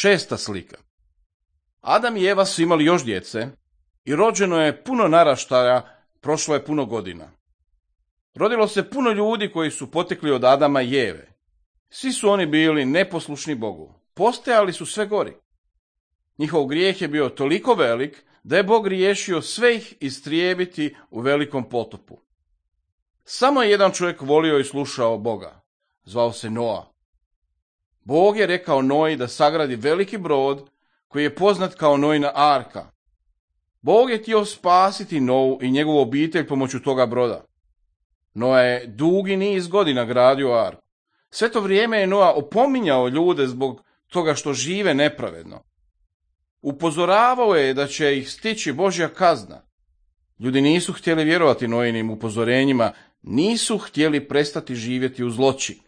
6. slika. Adam i Eva su imali još djece i rođeno je puno naraštaja, prošlo je puno godina. Rodilo se puno ljudi koji su potekli od Adama i Eve. Svi su oni bili neposlušni Bogu, postajali su sve gori. Njihov grijeh je bio toliko velik da je Bog riješio sve ih istrijebiti u velikom potopu. Samo je jedan čovjek volio i slušao Boga, zvao se Noa. Bog je rekao Noji da sagradi veliki brod koji je poznat kao Noina arka. Bog je htio spasiti Nou i njegovu obitelj pomoću toga broda. Noa je dugi niz godina gradio arku. Sve to vrijeme je Noa opominjao ljude zbog toga što žive nepravedno. Upozoravao je da će ih stići Božja kazna. Ljudi nisu htjeli vjerovati Noinim upozorenjima, nisu htjeli prestati živjeti u zloći.